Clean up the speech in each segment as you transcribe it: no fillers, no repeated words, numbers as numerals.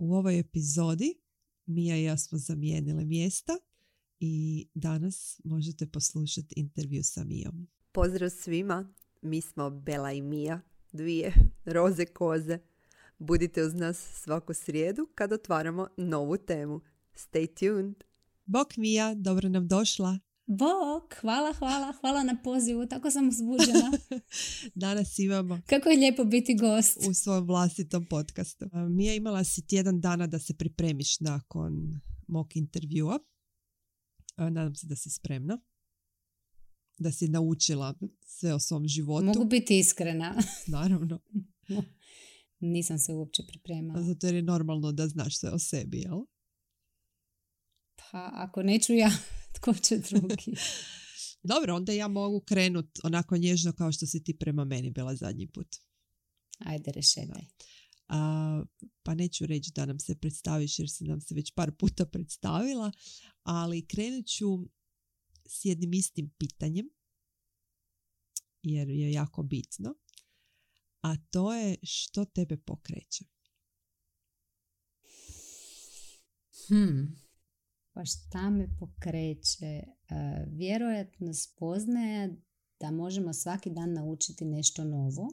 U ovoj epizodi Mija i ja smo zamijenile mjesta i danas možete poslušati intervju sa Mijom. Pozdrav svima, mi smo Bela i Mija, dvije roze koze. Budite uz nas svaku srijedu kad otvaramo novu temu. Stay tuned! Bok Mija, dobro nam došla. Bok, hvala na pozivu, tako sam uzbuđena. Danas imamo Kako je lijepo biti gost. u svom vlastitom podcastu. Mija, imala si tjedan dana da se pripremiš nakon mog intervjua. Nadam se da si spremna. Da si naučila sve o svom životu. Mogu biti iskrena. Naravno. Nisam se uopće pripremala. Zato jer je normalno da znaš sve o sebi, jel? Pa ako neću ja, tko će drugi? Dobro, onda ja mogu krenut onako nježno kao što si ti prema meni bila zadnji put. Ajde, rešetaj. Pa neću reći da nam se predstaviš jer si nam se već par puta predstavila, ali krenut ću s jednim istim pitanjem jer je jako bitno, a to je što tebe pokreće? Pa šta me pokreće? Vjerojatno spoznaje da možemo svaki dan naučiti nešto novo.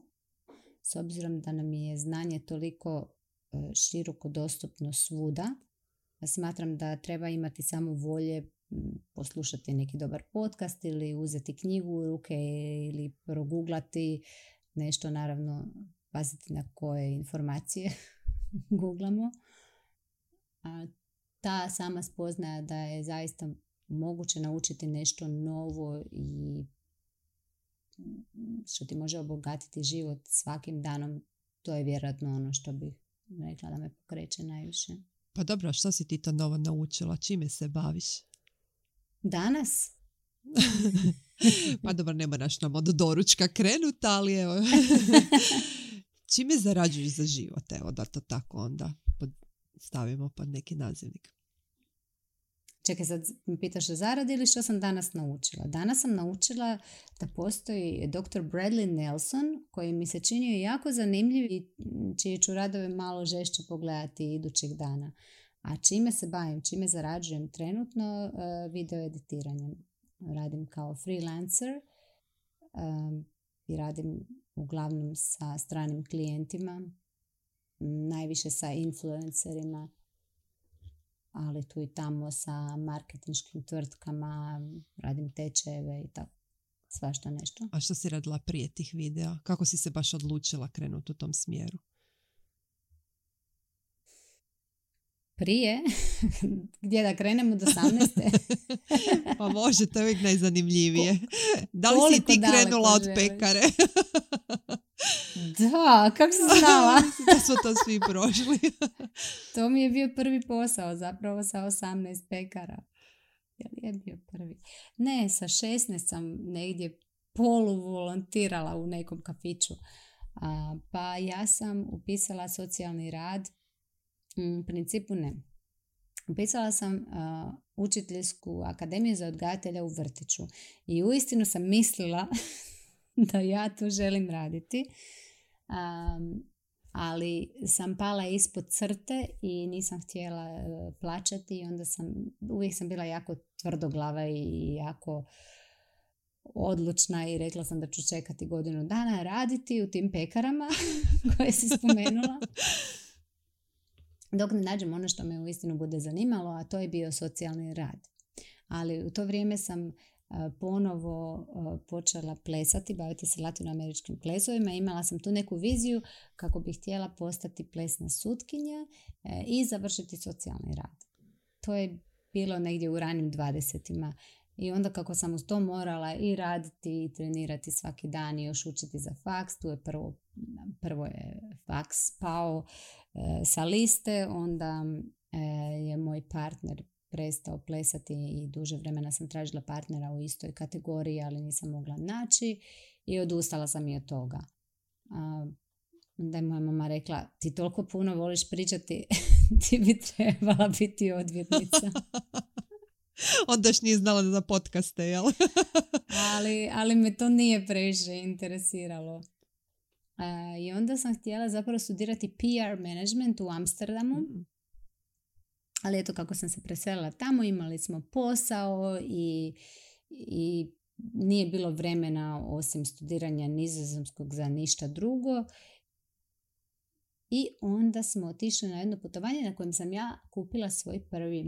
S obzirom da nam je znanje toliko široko dostupno svuda, ja smatram da treba imati samo volje poslušati neki dobar podcast ili uzeti knjigu u ruke ili proguglati nešto, naravno paziti na koje informacije googlamo. A ta sama spoznaja da je zaista moguće naučiti nešto novo i što ti može obogatiti život svakim danom, to je vjerojatno ono što bih rekla da me pokreće najviše. Pa dobro, što si ti to novo naučila? Čime se baviš? Danas? Pa dobro, ne moraš nam od doručka krenut, ali evo. Čime zarađuješ za život? Evo da to tako onda stavimo pod neki nazivnik. Čekaj, sad mi pitaš o zaradi ili što sam danas naučila? Danas sam naučila da postoji dr. Bradley Nelson koji mi se činio jako zanimljiv i čije ću radove malo žešće pogledati idućeg dana. A čime se bavim, čime zarađujem trenutno? Video editiranjem. Radim kao freelancer i radim uglavnom sa stranim klijentima, najviše sa influencerima, ali tu i tamo sa marketinškim tvrtkama, radim tečajeve i tako, svašta nešto. A što si radila prije tih videa? Kako si se baš odlučila krenuti u tom smjeru? Prije? Gdje da krenemo do 18. Pa može, to je uvijek najzanimljivije. Da li si ti krenula od pekare? Da, kako si znala? Da su to svi prošli. To mi je bio prvi posao, zapravo sa 18 pekara. Je bio prvi? Ne, sa 16 sam negdje poluvolontirala u nekom kafiću. Pa ja sam upisala socijalni rad. U principu ne. Upisala sam učiteljsku akademiju za odgajatelja u vrtiću. I uistinu sam mislila da ja tu želim raditi. Ali sam pala ispod crte i nisam htjela plaćati i onda uvijek sam bila jako tvrdoglava i jako odlučna i rekla sam da ću čekati godinu dana raditi u tim pekarama koje si spomenula. Dok ne nađem ono što me uistinu bude zanimalo, a to je bio socijalni rad. Ali u to vrijeme sam ponovo počela plesati, baviti se latinoameričkim plesovima. Imala sam tu neku viziju kako bih htjela postati plesna sutkinja i završiti socijalni rad. To je bilo negdje u ranim 20-ima. I onda kako sam uz to morala i raditi i trenirati svaki dan i još učiti za faks, tu je prvo je faks pao sa liste, onda je moj partner prestao plesati i duže vremena sam tražila partnera u istoj kategoriji, ali nisam mogla naći i odustala sam i od toga. Onda je moja mama rekla, ti toliko puno voliš pričati, ti bi trebala biti odvjetnica. Onda još nije znala za podcaste, jel? ali me to nije previše interesiralo. I onda sam htjela zapravo studirati PR management u Amsterdamu. Ali eto kako sam se preselila tamo, imali smo posao i nije bilo vremena osim studiranja nizozemskog za ništa drugo. I onda smo otišli na jedno putovanje na kojem sam ja kupila svoj prvi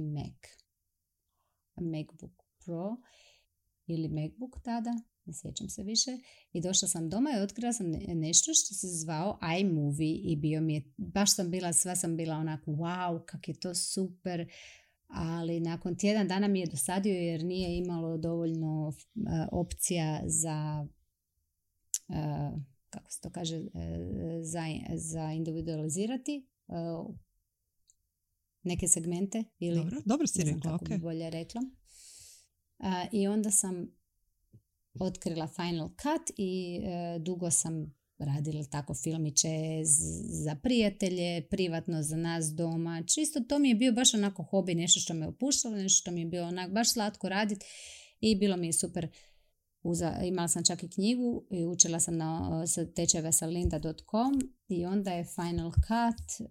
MacBook Pro ili MacBook tada, ne sjećam se više. I došla sam doma i otkrila sam nešto što se zvao iMovie i bio mi je, baš sam bila, sva sam bila onako wow, kak je to super. Ali nakon tjedan dana mi je dosadio jer nije imalo dovoljno opcija za kako se to kaže, za individualizirati neke segmente. Ili, dobro si rekla, kako bi bolje rekla. I onda sam otkrila Final Cut i dugo sam radila tako filmiće za prijatelje, privatno za nas doma. Čisto to mi je bio baš onako hobi, nešto što me opuštalo, nešto što mi je bilo onako baš slatko raditi i bilo mi je super. Imala sam čak i knjigu i učila sam na tečajeve sa lynda.com i onda je Final Cut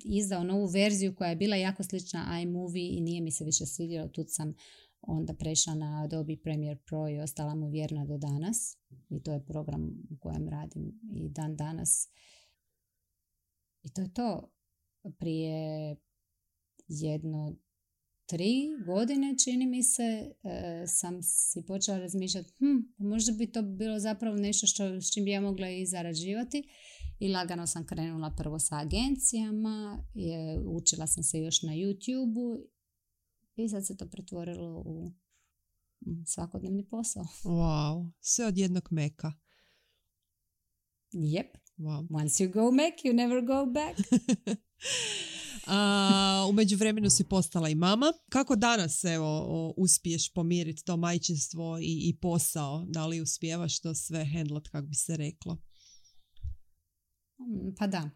izdao novu verziju koja je bila jako slična iMovie i nije mi se više svidjelo. Tu sam onda prešla na Adobe Premiere Pro i ostala mu vjerna do danas. I to je program u kojem radim i dan danas. I to je to. Prije 3 godine, čini mi se, sam si počela razmišljati možda bi to bilo zapravo nešto s čim bi ja mogla i zarađivati. I lagano sam krenula prvo sa agencijama, učila sam se još na YouTube-u i sad se to pretvorilo u svakodnevni posao. Wow, sve od jednog Maca. Yep. Wow. Once you go Mac, you never go back. U međuvremenu si postala i mama. Kako danas uspiješ pomiriti to majčinstvo i posao? Da li uspijevaš to sve handlat, kako bi se reklo? Pa da.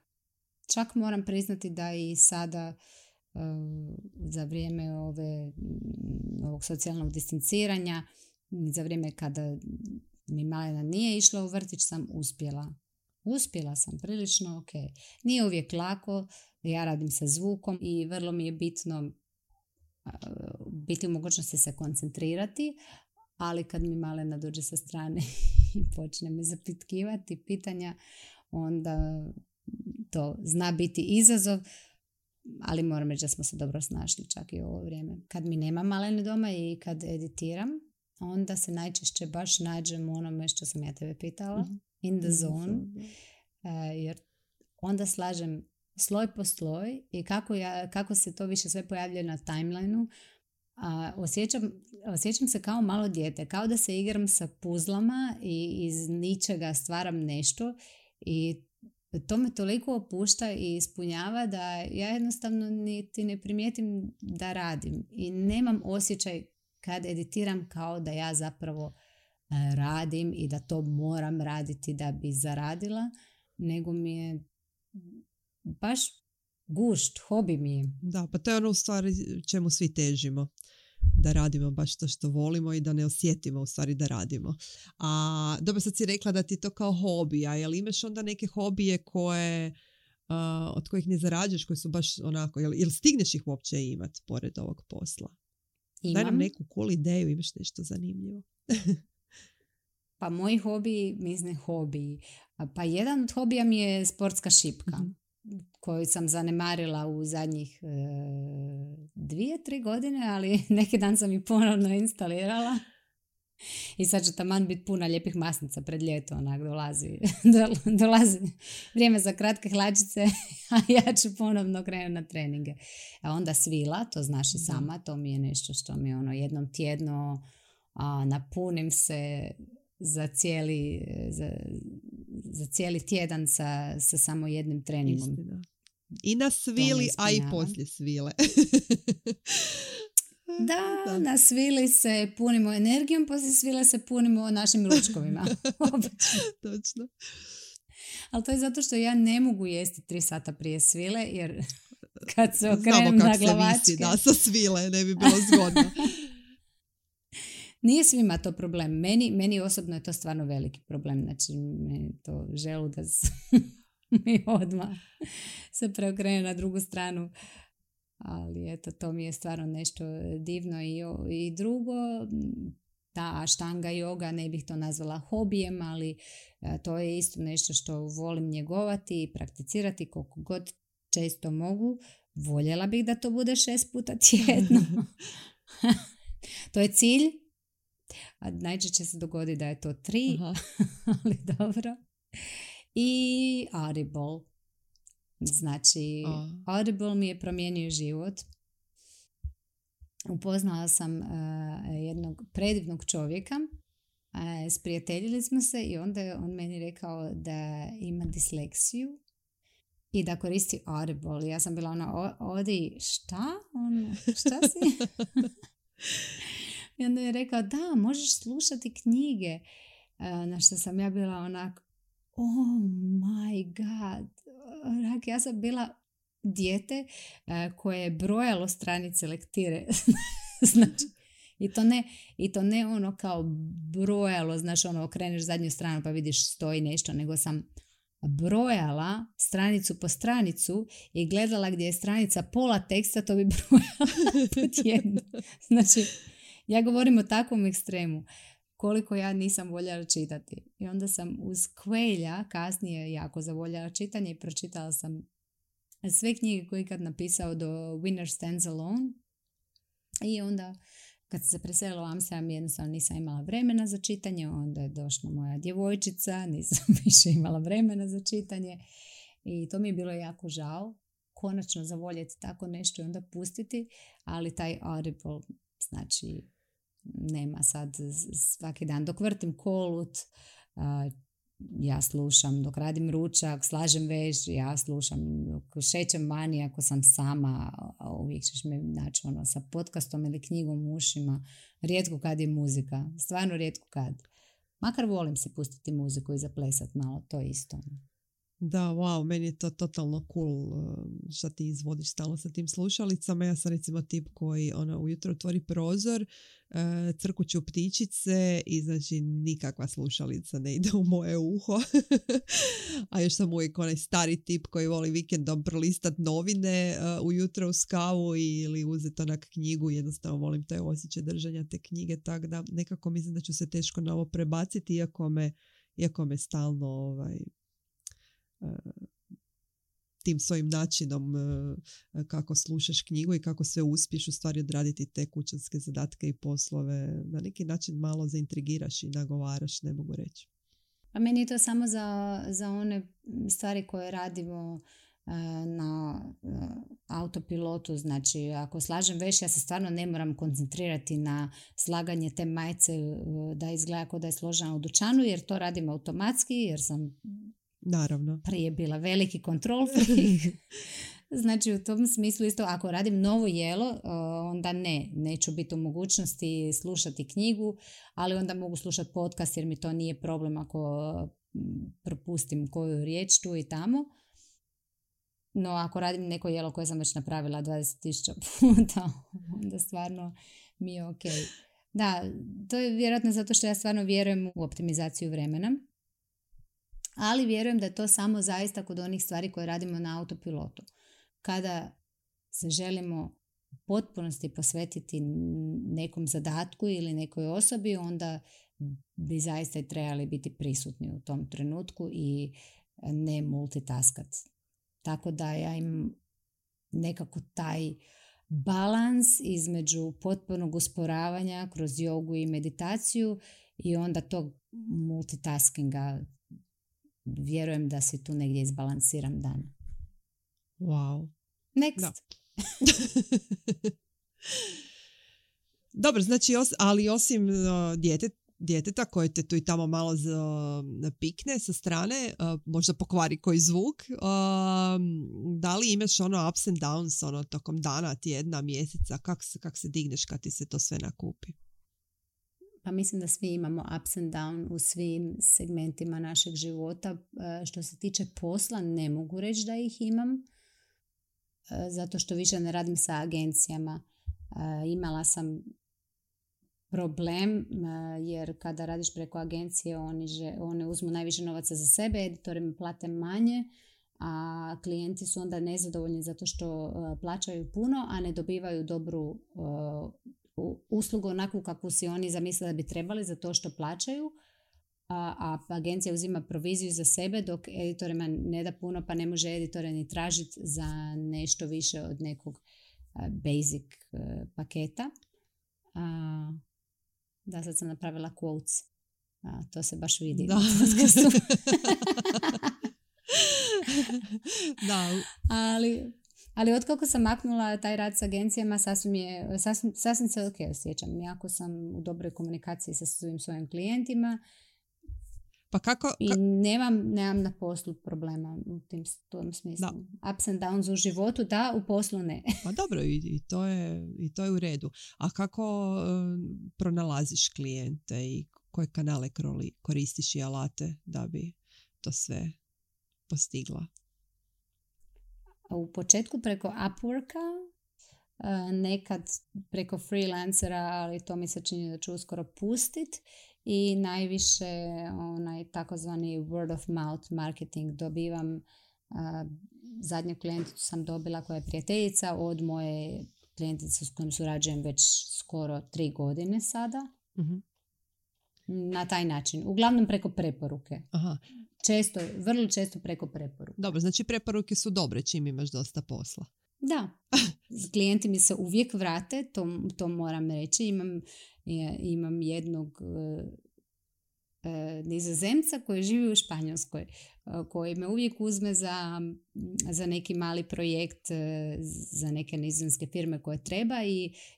Čak moram priznati da i sada za vrijeme ovog socijalnog distanciranja, za vrijeme kada mi malena nije išla u vrtić, sam uspjela sam prilično, ok. Nije uvijek lako, ja radim sa zvukom i vrlo mi je bitno biti u mogućnosti se koncentrirati, ali kad mi malena dođe sa strane i počne me zapitkivati pitanja, onda to zna biti izazov, ali moram reći da smo se dobro snašli čak i u ovo vrijeme. Kad mi nema malene doma i kad editiram, onda se najčešće baš nađem u onome što sam ja tebe pitala, in the zone, jer onda slažem sloj po sloj i kako se to više sve pojavljuje na timelineu. Osjećam se kao malo dijete, kao da se igram sa puzlama i iz ničega stvaram nešto i to me toliko opušta i ispunjava da ja jednostavno niti ne primijetim da radim i nemam osjećaj kad editiram kao da ja zapravo radim i da to moram raditi da bi zaradila, nego mi je baš gušt, hobi mi je. Da, pa to je ono u stvari čemu svi težimo. Da radimo baš to što volimo i da ne osjetimo u stvari da radimo. A dobro, sad si rekla da ti to kao hobi, a jel imaš onda neke hobije od kojih ne zarađuješ, koji su baš onako, jel stigneš ih uopće imati pored ovog posla? Imam. Daj nam neku cool ideju, imaš nešto zanimljivo. Pa moji hobiji, pa jedan od hobija mi je sportska šipka. Koju sam zanemarila u zadnjih 2-3 godine, ali neki dan sam i ponovno instalirala. I sad će taman biti puna lijepih masnica pred ljeto, onak dolazi vrijeme za kratke hlačice, a ja ću ponovno krenuti na treninge. A onda svila, to znaš i sama, to mi je nešto što mi jednom tjedno napunim se za cijeli tjedan sa samo jednim treningom. Istina. I na svili, a i poslije svile. Da, na svili se punimo energijom, poslije svile se punimo našim ručkovima. Točno. Ali to je zato što ja ne mogu jesti 3 sata prije svile, jer kad se okrenem na glavačke... Se visi, da, sa svile, ne bi bilo zgodno. Nije svima to problem. Meni osobno je to stvarno veliki problem. Znači, meni to želudac mi odmah se preokrene na drugu stranu. Ali eto, to mi je stvarno nešto divno. I drugo, ta štanga yoga, ne bih to nazvala hobijem, ali to je isto nešto što volim njegovati i prakticirati koliko god često mogu. Voljela bih da to bude 6 puta tjedno. To je cilj. A najčešće se dogodi da je to 3, ali dobro. I Audible. Znači, Audible mi je promijenio život. Upoznala sam jednog predivnog čovjeka, sprijateljili smo se i onda je on meni rekao da ima disleksiju i da koristi Audible. Ja sam bila odi, šta? Šta si? I onda je rekao, da, možeš slušati knjige. Na što sam ja bila onako, oh my god. Ja sam bila dijete koje je brojalo stranice lektire. Znači, i to ne ono kao brojalo, znaš, ono okreneš zadnju stranu pa vidiš stoji nešto, nego sam brojala stranicu po stranicu i gledala gdje je stranica pola teksta, to bi brojala po tjednu. Znači, ja govorim o takvom ekstremu koliko ja nisam voljela čitati. I onda sam uz Coelha kasnije jako zavoljela čitanje i pročitala sam sve knjige koje je ikad napisao do Winner Stands Alone. I onda kad se preselila u Amsterdam jednostavno nisam imala vremena za čitanje, onda je došla moja djevojčica, nisam više imala vremena za čitanje i to mi je bilo jako žao. Konačno zavoljeti tako nešto i onda pustiti, ali taj Audible, znači nema sad svaki dan. Dok vrtim kolut, ja slušam, dok radim ručak, slažem veš, ja slušam, dok šećem vani, ako sam sama, uvijek ćeš me naći ono, sa podcastom ili knjigom u ušima. Rijetko kad je muzika, stvarno rijetko kad. Makar volim si pustiti muziku i zaplesat malo, to isto. Da, wow, meni je to totalno cool što ti izvodiš stalno sa tim slušalicama. Ja sam recimo tip koji ujutro otvori prozor, crkuću ptičice i znači nikakva slušalica ne ide u moje uho. A još sam uvijek onaj stari tip koji voli vikendom prolistat novine ujutro uz kavu ili uzeti onak knjigu. Jednostavno volim taj osjećaj držanja te knjige, tako da nekako mislim da ću se teško na ovo prebaciti iako me stalno tim svojim načinom kako slušaš knjigu i kako sve uspiješ u stvari odraditi te kućanske zadatke i poslove na neki način malo zaintrigiraš i nagovaraš, ne mogu reći. A meni je to samo za one stvari koje radimo na autopilotu, znači ako slažem veš, ja se stvarno ne moram koncentrirati na slaganje te majice da izgleda kao da je složena u dućanu, jer to radim automatski, jer sam naravno prije bila veliki kontrol freak. Znači u tom smislu isto ako radim novo jelo, onda neću biti u mogućnosti slušati knjigu, ali onda mogu slušati podcast jer mi to nije problem ako propustim koju riječ tu i tamo. No ako radim neko jelo koje sam već napravila 20.000 puta, onda stvarno mi je ok. Da, to je vjerojatno zato što ja stvarno vjerujem u optimizaciju vremena. Ali vjerujem da je to samo zaista kod onih stvari koje radimo na autopilotu. Kada se želimo u potpunosti posvetiti nekom zadatku ili nekoj osobi, onda bi zaista i trebali biti prisutni u tom trenutku i ne multitaskat. Tako da ja imam nekako taj balans između potpunog usporavanja kroz jogu i meditaciju i onda tog multitaskinga. Vjerujem da si tu negdje izbalansiram dan. Wow. Next. Dobro, znači, ali osim djeteta koje te tu i tamo malo pikne sa strane, možda pokvari koji zvuk, da li imaš ups and downs tokom dana, tjedna, mjeseca, kak se digneš kad ti se to sve nakupi? Pa mislim da svi imamo ups and down u svim segmentima našeg života. Što se tiče posla, ne mogu reći da ih imam, zato što više ne radim sa agencijama. Imala sam problem, jer kada radiš preko agencije, one uzmu najviše novaca za sebe, editori mi plate manje, a klijenti su onda nezadovoljni zato što plaćaju puno, a ne dobivaju dobru uslugu onakvu kakvu si oni zamislili da bi trebali za to što plaćaju, a agencija uzima proviziju za sebe dok editorima ne da puno, pa ne može editore ni tražiti za nešto više od nekog basic paketa. Da, sad sam napravila quotes. To se baš vidi. Da. Da. Ali otkako sam maknula taj rad s agencijama, sasvim se ok osjećam. Jako sam u dobroj komunikaciji sa svojim klijentima. Pa kako? I nemam na poslu problema u tom smislu. Da. Ups and downs u životu, da, u poslu ne. Pa dobro, i to je u redu. A kako pronalaziš klijente i koje kanale koristiš i alate da bi to sve postigla? U početku preko Upworka, nekad preko freelancera, ali to mi se čini da ću uskoro pustit, i najviše onaj takozvani word of mouth marketing dobivam. Zadnju klijenticu sam dobila koja je prijateljica od moje klijentice s kojom surađujem već skoro 3 godine sada. Uh-huh. Na taj način. Uglavnom preko preporuke. Aha. Vrlo često preko preporuke. Dobro, znači preporuke su dobre čim imaš dosta posla. Da. Klijenti mi se uvijek vrate, to moram reći. Imam jednog Nizozemca koji živi u Španjolskoj, koji me uvijek uzme za neki mali projekt za neke nizozemske firme koje treba,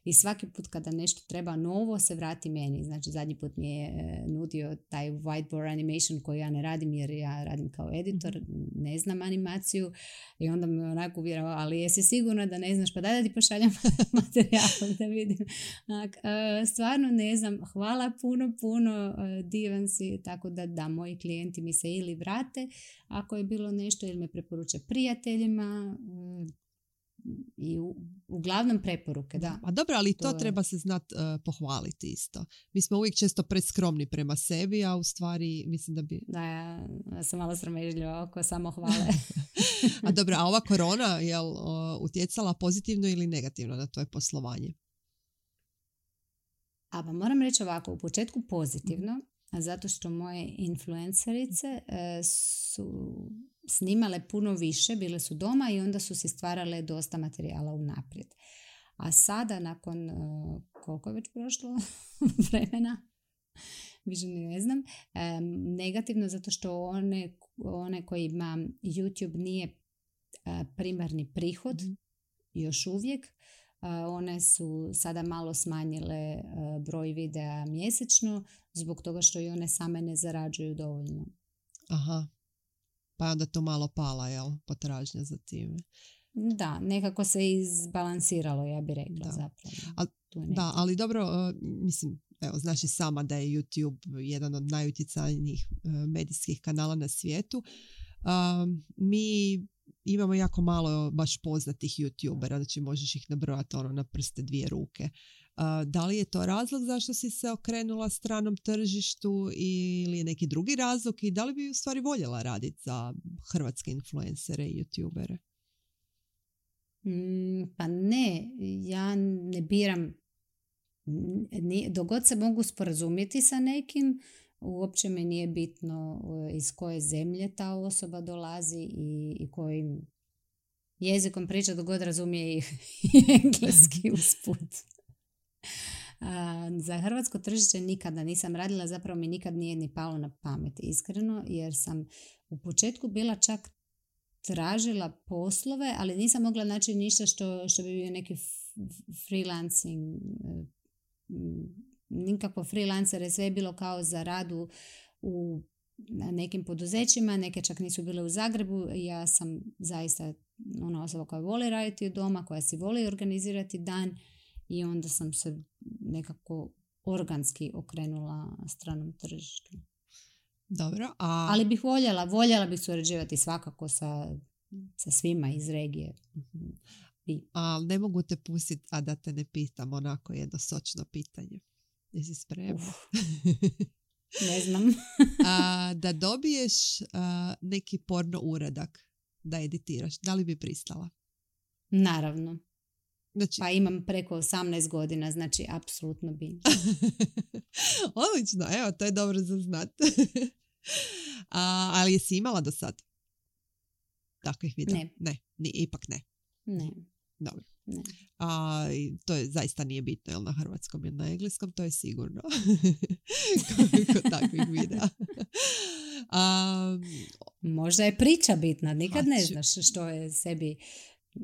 i svaki put kada nešto treba novo se vrati meni. Znači zadnji put mi je nudio taj whiteboard animation koji ja ne radim jer ja radim kao editor, ne znam animaciju, i onda me onako uvjeravao, ali jesi sigurna da ne znaš, pa daj da ti pošaljem materijal da vidim. Stvarno ne znam, hvala puno, divan si, tako da moji klijenti mi se ili vrate ako je bilo nešto, ili me preporuče prijateljima, i uglavnom preporuke, da. A dobro, ali to treba se znati pohvaliti isto. Mi smo uvijek često preskromni prema sebi, a u stvari mislim da bi... Da, ja sam malo sramežljiva oko samohvale. A dobro, a ova korona je utjecala pozitivno ili negativno na tvoje poslovanje? Pa moram reći ovako, u početku pozitivno, zato što moje influencerice su snimale puno više, bile su doma i onda su si stvarale dosta materijala unaprijed. A sada, nakon koliko je već prošlo vremena, više ne znam, negativno zato što one kojima YouTube nije primarni prihod, još uvijek, one su sada malo smanjile broj videa mjesečno zbog toga što i one same ne zarađuju dovoljno. Aha, pa je onda to malo pala, jel? Potražnja za time. Da, nekako se izbalansiralo, ja bih rekla, zapravo. Da, ali dobro, mislim, evo, znaš i sama da je YouTube jedan od najutjecajnijih medijskih kanala na svijetu. Mi imamo jako malo baš poznatih YouTubera, znači možeš ih nabrojati na prste 2 ruke. Da li je to razlog zašto si se okrenula stranom tržištu ili je neki drugi razlog, i da li bi u stvari voljela raditi za hrvatske influencere i YouTubere? Pa ne, ja ne biram. Dogod se mogu sporazumjeti sa nekim, uopće mi nije bitno iz koje zemlje ta osoba dolazi i kojim jezikom priča, dogod razumije i engleski usput. Za hrvatsko tržište nikada nisam radila, zapravo mi nikad nije ni palo na pamet, iskreno, jer sam u početku bila čak tražila poslove, ali nisam mogla naći ništa što bi bio neki freelancing, nikakvo freelancere, sve je bilo kao za radu u nekim poduzećima, neke čak nisu bile u Zagrebu. Ja sam zaista ona osoba koja voli raditi od doma, koja si voli organizirati dan, i onda sam se nekako organski okrenula stranom tržištu. Dobro, ali bih voljela bih surađivati svakako sa svima iz regije. Ali ne mogu te pustiti, a da te ne pitam onako jedno sočno pitanje. Jesi spremna? Ne znam. Da dobiješ neki porno uradak da editiraš. Da li bi pristala? Naravno. Znači, Pa imam preko 18 godina, znači apsolutno bi. odlično, evo, to je dobro za znat. Ali jesi imala do sad takvih videa? Ne. Ipak ne. Ne. Dobro. Ne. To je zaista nije bitno, jel na hrvatskom ili na engleskom, to je sigurno. Koliko takvih videa. Možda je priča bitna, nikad ne znaš što je sebi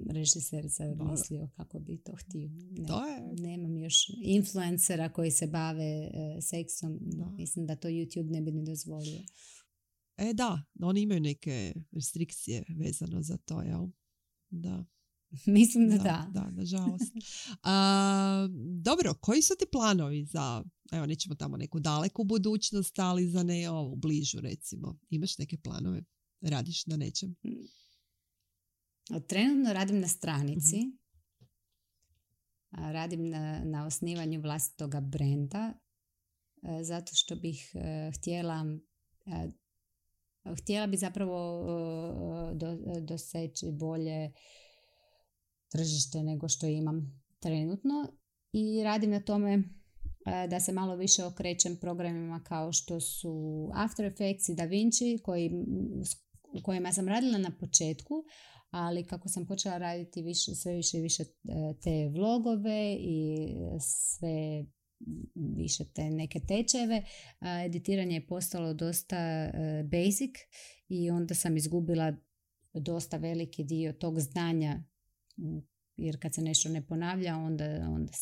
režiser mislio kako bi to htio. Nemam još influencera koji se bave seksom. Mislim da to YouTube ne bi ni dozvolio. Da, oni imaju neke restrikcije vezano za to, jel? Da. Mislim da. Da, nažalost. Dobro, koji su ti planovi za, evo, nećemo tamo neku daleku budućnost, ali za ne ovu bližu, recimo? Imaš neke planove? Radiš na nečem? Trenutno radim na stranici. Radim na osnivanju vlastitoga brenda, zato što bih htjela bi zapravo doseći bolje tržište nego što imam trenutno i radim na tome da se malo više okrećem programima kao što su After Effects i DaVinci u kojima sam radila na početku, ali kako sam počela raditi sve više i više te vlogove i sve više te neke tečajeve, editiranje je postalo dosta basic i onda sam izgubila dosta veliki dio tog znanja, jer kad se nešto ne ponavlja onda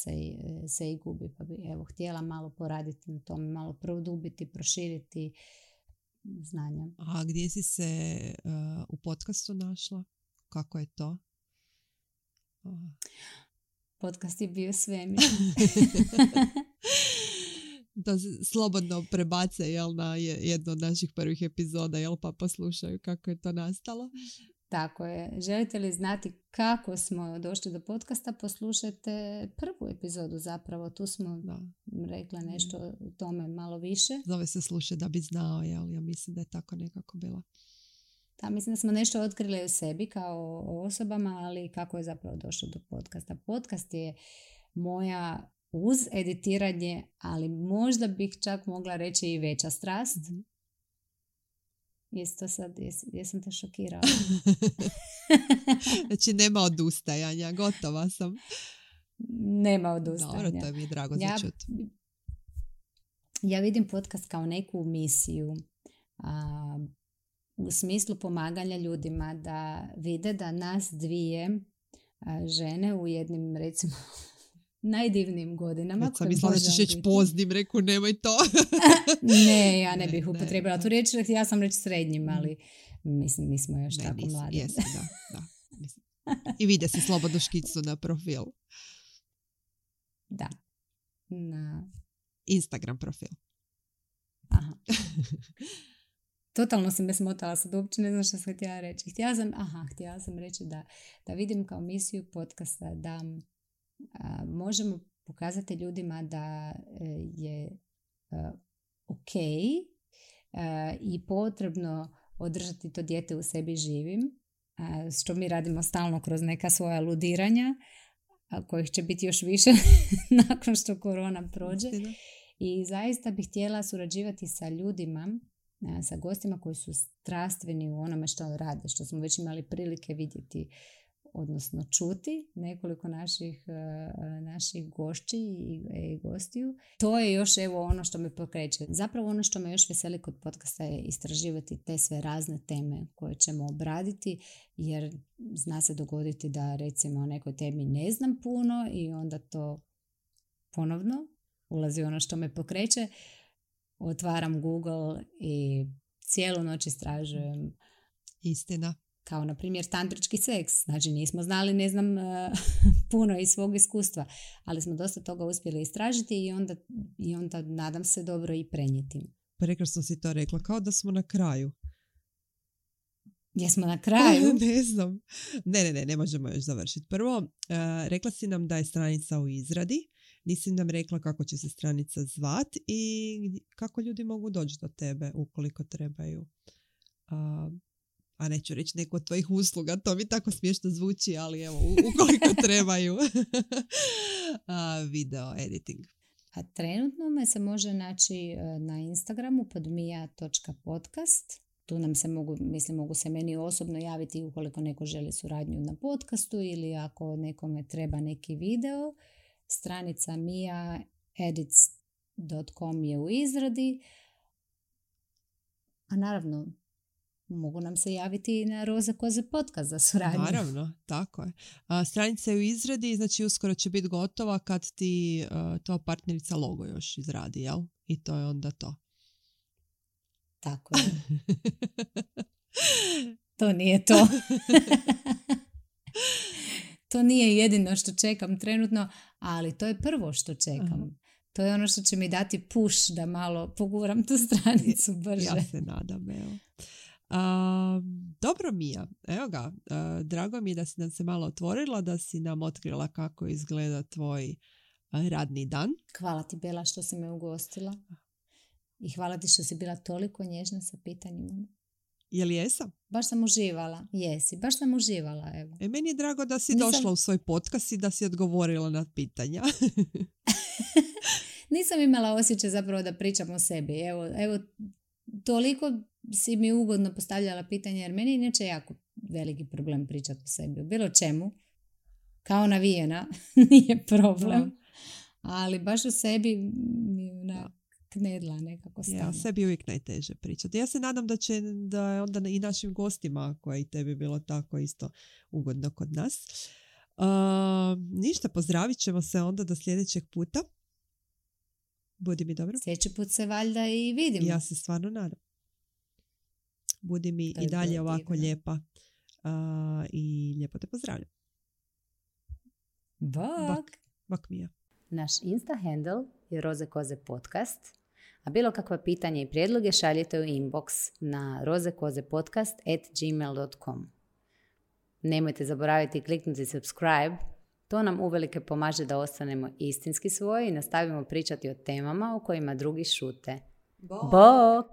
se i gubi, pa bi htjela malo poraditi na tome, malo produbiti, proširiti znanja. A gdje si se u podcastu našla? Kako je to? Podcast je bio svemir. Da slobodno prebace, jel, na jednu od naših prvih epizoda, jel, pa poslušaju kako je to nastalo. Tako je. Želite li znati kako smo došli do podcasta, poslušajte prvu epizodu zapravo. Tu smo rekla nešto o tome malo više. Zove se Slušaj da bi znao, jel? Ja mislim da je tako nekako bilo. Da, mislim da smo nešto otkrili u sebi kao osobama, ali kako je zapravo došlo do podcasta. Podcast je moja uz editiranje, ali možda bih čak mogla reći i veća strast. Mm-hmm. Jesam te šokirala? Znači nema odustajanja, gotova sam. Nema odustajanja. Dobro, to mi je drago za čuti. Ja vidim podcast kao neku misiju, u smislu pomaganja ljudima da vide da nas dvije žene u jednim, recimo, najdivnijim godinama. Već sam mislila da ćeš reći poznim, reku nemoj to. Ne, ja ne bih upotrebila tu riječ, ja sam reći srednjim, ali mislim mi smo još tako mladi. Jesam, da. I vide se slobodno škicu na profil. Da. Na Instagram profil. Aha. Totalno si me smotala, sad uopće ne znam što sam htjela reći. Htjela sam reći da vidim kao misiju podcasta da možemo pokazati ljudima da je ok i potrebno održati to dijete u sebi živim, što mi radimo stalno kroz neka svoja ludiranja, kojih će biti još više nakon što korona prođe. I zaista bih htjela surađivati sa ljudima, sa gostima koji su strastveni u onome što rade, što smo već imali prilike vidjeti, odnosno čuti nekoliko naših gošći i gostiju. To je još ono što me pokreće. Zapravo ono što me još veseli kod podcasta je istraživati te sve razne teme koje ćemo obraditi, jer zna se dogoditi da recimo o nekoj temi ne znam puno i onda to ponovno ulazi ono što me pokreće. Otvaram Google i cijelu noć istražujem. Istina. Kao, na primjer, tantrički seks. Znači, nismo znali, ne znam, puno iz svog iskustva, ali smo dosta toga uspjeli istražiti i onda nadam se dobro i prenijeti. Prekrasno si to rekla, kao da smo na kraju. Jesmo na kraju? Ne znam. Ne možemo još završiti. Prvo, rekla si nam da je stranica u izradi. Nisi nam rekla kako će se stranica zvat i kako ljudi mogu doći do tebe ukoliko trebaju a neću reći neku od tvojih usluga, to mi tako smiješno zvuči, ali evo, ukoliko trebaju video editing. A trenutno me se može naći na Instagramu pod mia.podcast. Tu nam se mogu se meni osobno javiti ukoliko neko želi suradnju na podcastu ili ako nekome treba neki video. Stranica miaedits.com je u izradi. A naravno, mogu nam se javiti i na Roze koze podcast za suradnju. Naravno, tako je. Stranica je u izradi, znači uskoro će biti gotova kad ti to partnerica logo još izradi, jel? I to je onda to. Tako je. To nije to. To nije jedino što čekam trenutno, ali to je prvo što čekam. Aha. To je ono što će mi dati push da malo poguram tu stranicu brže. Ja se nadam, evo. Dobro, Mia, evo ga, drago mi je da si nam se malo otvorila, da si nam otkrila kako izgleda tvoj radni dan. Hvala ti, Bela, što si me ugostila i hvala ti što si bila toliko nježna sa pitanjima. Je li jesam? Baš sam uživala, baš sam uživala, evo. Meni je drago da si došla u svoj podcast i da si odgovorila na pitanja. Nisam imala osjećaj zapravo da pričam o sebi, evo, toliko si mi ugodno postavljala pitanje, jer meni je inače jako veliki problem pričati o sebi. O bilo čemu, kao navijena, nije problem. Ali baš o sebi mi knedla nekako stane. Ja, sebi uvijek najteže pričati. Ja se nadam da je onda i našim gostima, koji tebi bilo tako isto ugodno kod nas. Ništa, pozdravit ćemo se onda do sljedećeg puta. Budi mi dobro. Sljedeći put se valjda i vidimo. Ja se stvarno nadam. Budi mi i dalje ovako lijepa i lijepo te pozdravljam. Bok Mia. Naš Insta handle je Roze koze podcast, a bilo kakva pitanja i prijedloge šaljite u inbox na rozekozepodcast@gmail.com. Nemojte zaboraviti kliknuti subscribe, to nam uvelike pomaže da ostanemo istinski svoji i nastavimo pričati o temama o kojima drugi šute. Bok!